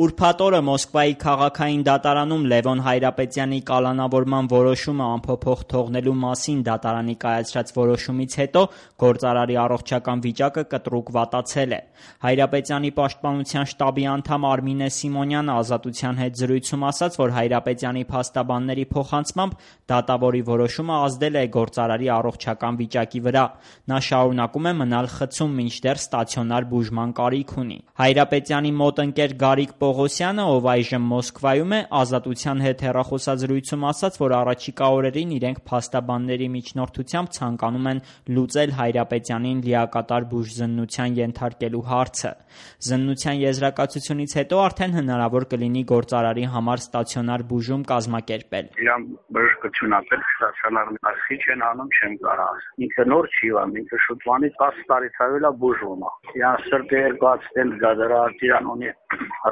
Ուրբաթ օրը Մոսկվայի քաղաքային դատարանում Լևոն Հայրապետյանի կալանավորման որոշումը անփոփոխ թողնելու մասին դատարանի կայացրած որոշումից հետո գործարարի առողջական վիճակը կտրուկ վատացել է։ Հայրապետյանի պաշտպանության շտաբի անդամ Արմինե Սիմոնյանը Ազատության հետ զրույցում ասաց, որ Հայրապետյանի փաստաբանների փոխանցմամբ դատավորի որոշումը ազդել է գործարարի առողջական վիճակի վրա։ Նա շարունակում է մնալ խցում, մինչդեռ ստացիոնար բուժման կարիք ունի։ Հայրապետյանի մոտ ընկեր Գարիկ Պողոսյանը, ով այժմ Մոսկվայում է, Ազատության հետ հեռախոսազրույցում ասաց, որ առաջիկա օրերին իրենք փաստաբանների միջնորդությամբ ցանկանում են լուծել Հայրապետյանին լիակատար բուժզննության ենթարկելու հարցը։ Զննության եզրակացությունից հետո արդեն հնարավոր կլինի գործարարի համար ստացիոնար բուժում կազմակերպել։ Իրան բժշկությունատեր ստացիոնար արխի չեն անում, չեմ կարող։ Ինքը նոր չի անում, ինքը շուտվանից 10 տարի ցավելա բուժվում է։ Իրան սրտը երկու ստենտ գադարած, իրան ունի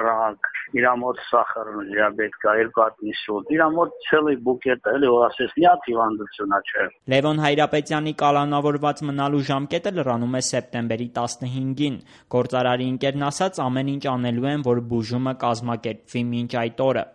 ռակ, իրա մոտ սախարն դիաբետ կա, երկու հատ ինսուլտ, իրա մոտ ցելի բուկետ էլի որ ասես նյաթ հիվանդությունա չէ։ Լևոն Հայրապետյանի կալանավորված մնալու ժամկետը լրանում է սեպտեմբերի 15-ին։ Գործարարի ընկերն ասաց, ամեն ինչ անելու են, որ բուժումը կազմակերպվի մինչ այդ օրը։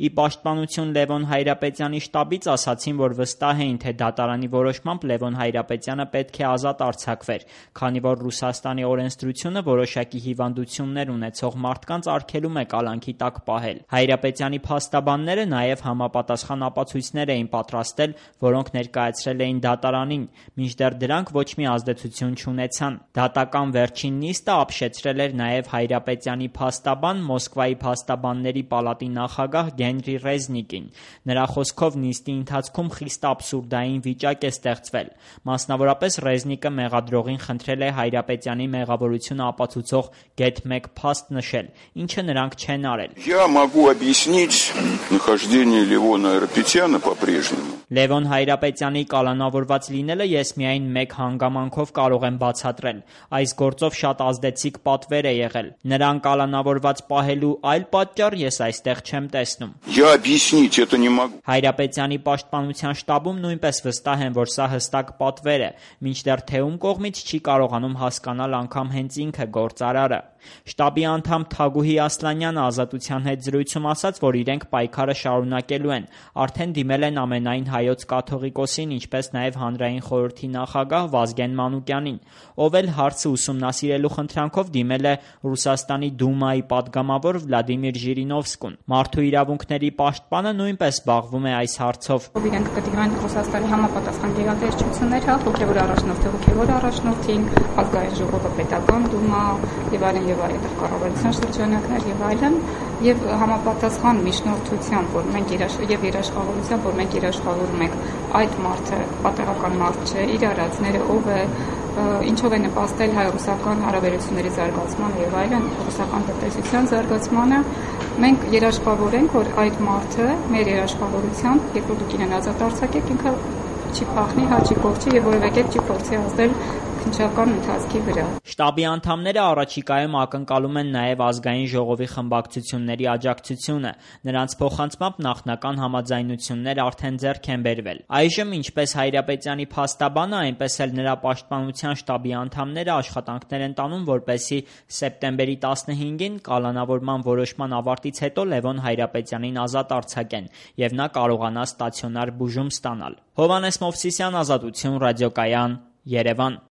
Ի պաշտպանություն Լևոն Հայրապետյանի շտաբից ասացին, որ վստահ էին, թե դատարանի որոշմամբ Լևոն Հայրապետյանը պետք է ազատ արձակվեր, քանի որ Ռուսաստանի օրենսդրությունը որոշակի հիվանդություններ ունեցող մարդկանց արգելում է կալանքի տակ պահել։ Հայրապետյանի փաստաբանները նաև համապատասխան ապացույցներ էին պատրաստել, որոնք ներկայացրել էին դատարանին, մինչդեռ դրանք ոչ մի ազդեցություն չունեցան։ Դատական վերջին նիստը ապշեցրել էր նաև Հայրապետյանի փաստաբան, Մոսկվայի փաստաբանների պալատի նախագահ Գենրի Ռեզնիկին։ Նրա խոսքով նիստի ընթացքում խիստ աբսուրդային վիճակ է ստեղծվել։ Մասնավորապես Ռեզնիկը մեղադրողին խնդրել է Հայրապետյանի մեղավորությունը ապացուցող գեթ 1 փաստ նշել, ինչը նրանք չեն արել։ Я могу объяснить нахождение Левона Հայրապետյանը по-прежнему. Լևոն Հայրապետյանի կալանավորված լինելը ես միայն մեկ հանգամանքով կարող եմ բացատրել։ Այս գործով շատ ազդեցիկ պատվեր է եղել։ Նրան կալանավորված պահելու այլ պատճառ ես այստեղ չեմ տեսնում։ Я объяснить это не могу. Հայրապետյանի պաշտպանության շտաբում նույնպես վստահ են, որ սա հստակ պատվեր է, մինչդեռ թե ում կողմից չի կարողանում հասկանալ անգամ հենց ինքը գործարարը։ Շտաբի անդամ Թագուհի Ասլանյանը Ազատության հետ զրույցում ասաց, որ իրենք պայքարը շարունակելու են։ Արդեն դիմել են ամենայն հայոց կաթողիկոսին, ինչպես նաև հանրային խորհրդի նախագահ Վազգեն Մանուկյանին, ով էլ հարցը ուսումնասիրելու խնդրանքով դիմել է Ռուսաստանի Դումայի падգամավոր Վլադիմիր Ժիրինովսկուն։ Մարդու իրավունքների պաշտպանը նույնպես զբաղվում է այս հարցով։ Իրենք կդիմեն Ռուսաստանի համապատասխան գերատեսչություններ, հոգևոր առաջնորդին, ազգային ժողովը, պետական դումա եւ այլն կառավարության շրջանակներ եւ այլն, եւ համապատասխան միջնորդությամբ, որ մենք երաշխավորությամբ, որ մենք երաշխավորում ենք այդ մարդը պատահական մարդ չէ, իր արածները ով է, ինչով է նպաստել հայ-ռուսական հարաբերությունների զարգացմանը եւ այլն, ռուսական տնտեսության զարգացմանը, մենք երաշխավորենք, որ այդ մարդը մեր երաշխավորությամբ, երբ որ դուք իրեն ազատ արձակեք, ինքը չի փախնի, չի կողչի եւ որևէ կերպ չի փորձի ազդել քննչական ընթացքի վրա։ Շտաբի անդամները առաջիկայում ակնկալում են նաև ազգային ժողովի խմբակցությունների աջակցությունը։ Նրանց փոխանցմամբ նախնական համաձայնություններ արդեն ձեռք են բերվել։ Այժմ ինչպես Հայրապետյանի փաստաբանը, այնպես էլ նրա պաշտպանության շտաբի անդամները աշխատանքներ են տանում, որպեսզի սեպտեմբերի 15-ին կալանավորման որոշման ավարտից հետո Լևոն Հայրապետյանին ազատ արձակեն եւ նա կարողանա ստացիոնար բուժում ստանալ։ Հովհաննես Մովսիսյան, Ազատություն, ռադիոկայան, Երևան։